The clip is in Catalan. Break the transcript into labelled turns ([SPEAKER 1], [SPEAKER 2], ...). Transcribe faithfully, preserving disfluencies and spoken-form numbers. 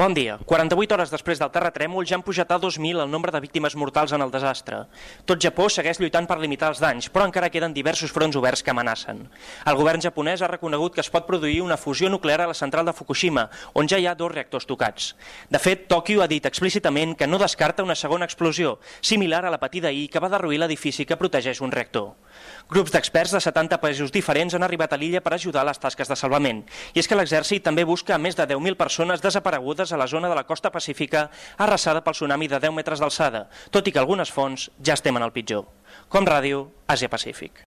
[SPEAKER 1] Bon dia. quaranta-vuit hores després del terratrèmol ja han pujat a dos mil el nombre de víctimes mortals en el desastre. Tot Japó segueix lluitant per limitar els danys, però encara queden diversos fronts oberts que amenacen. El govern japonès ha reconegut que es pot produir una fusió nuclear a la central de Fukushima, on ja hi ha dos reactors tocats. De fet, Tòquio ha dit explícitament que no descarta una segona explosió, similar a la patida ahir que va derruir l'edifici que protegeix un reactor. Grups d'experts de setanta països diferents han arribat a l'illa per ajudar a les tasques de salvament. I és que l'exèrcit també busca a més de deu mil persones desaparegudes a la zona de la costa pacífica arrasada pel tsunami de deu metres d'alçada, tot i que algunes fonts ja es temen el pitjor. Com Ràdio, Àsia Pacífic.